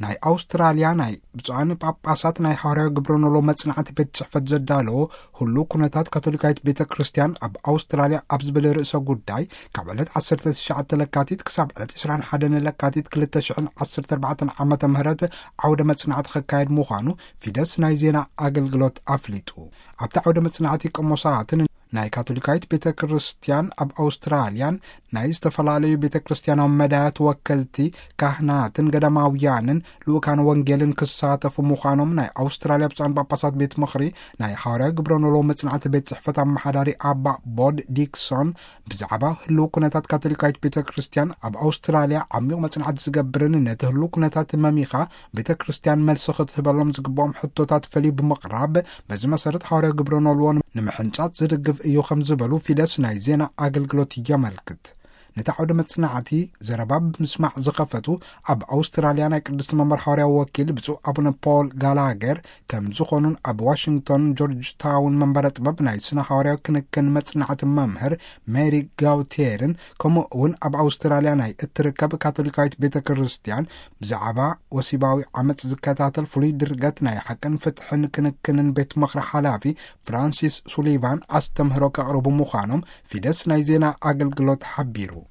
ናይ ኣውስትራልያ ናይ ብፁዓን ጳጳሳት ናይ ሃዋርያዊ ግብረ ኖሎ መጽናዕቲ ቤት ጽሕፈት ዘዳለዎ፣ ህሉው ኩነታት ካቶሊካዊት ቤተ ክርስቲያን ኣብ ኣውስትራልያ ኣብ ዝብል ርእሰ ጉዳይ፣ ካብ ዕለት ዓሰርተ ትሽዓተ ለካቲት ክሳብ ዕለት ዕስራን ሓደን ለካቲት ክልተ ሽሕን ዓሰርተ ኣርባዕተን ዓመተ ምህረት ዓውደ መጽናዕቲ ክካየድ ምዃኑ ፊደስ ናይ ዜና ኣገልግሎት ኣፍሊጡ። ኣብቲ ዓውደ መጽናዕቲ፣ ቀሞሳትን ናይ ካቶሊካዊት ቤተ ክርስቲያን ኣብ ኣውስትራልያን ናይ ዝተፈላለዩ ቤተ ክርስቲያናዊ መዳያት ወከልቲ፣ ካህናትን ገዳማውያንን ልኡካን ወንጌልን ክሳተፉ ምዃኖም ናይ ኣውስትራልያ ብፁዓን ጳጳሳት ቤት ምኽሪ ናይ ሃዋርያዊ ግብረ ኖሎ መጽናዕቲ ቤት ጽሕፈት ኣመሓዳሪ ኣባ ቦድ ዲክሶን ብዛዕባ ህልው ኩነታት ካቶሊካዊት ቤተ ክርስቲያን ኣብ ኣውስትራልያ ዓሚቕ መጽናዕቲ ዝገብርን ነቲ ህልው ኩነታት መሚኻ ቤተ ክርስቲያን መልሲ ክትህበሎም ዝግብኦም ሕቶታት ፈልዩ ብምቕራብ፣ በዚ መሰረት ሃዋርያዊ ግብረ ኖልዎ ንምሕንጻጽ ዝድግፍ እዩ ከም ዝበሉ ፊደስ ናይ ዜና ኣገልግሎት የመልክት። ነቲ ዓውደ መጽናዕቲ ዘረባ ብምስማዕ ዝኸፈቱ ኣብ ኣውስትራልያ ናይ ቅድስቲ መንበር ሃዋርያዊ ወኪል ብፁዕ ኣቡነ ፖል ጋላገር ከም ዝኾኑን ኣብ ዋሽንግቶን ጆርጅ ታውን መንበረ ጥበብ ናይ ስነ ሃዋርያዊ ክንክን መጽናዕቲ መምህር ሜሪ ጋውቴርን፣ ከምኡ እውን ኣብ ኣውስትራልያ ናይ እትርከብ ካቶሊካዊት ቤተ ክርስቲያን ብዛዕባ ወሲባዊ ዓመጽ ዝከታተል ፍሉይ ድርገት ናይ ሓቅን ፍትሕን ክንክንን ቤት ምኽሪ ሓላፊ ፍራንሲስ ሱሊቫን ኣስተምህሮ ከቕርቡ ምዃኖም ፊደስ ናይ ዜና ኣገልግሎት ሓቢሩ።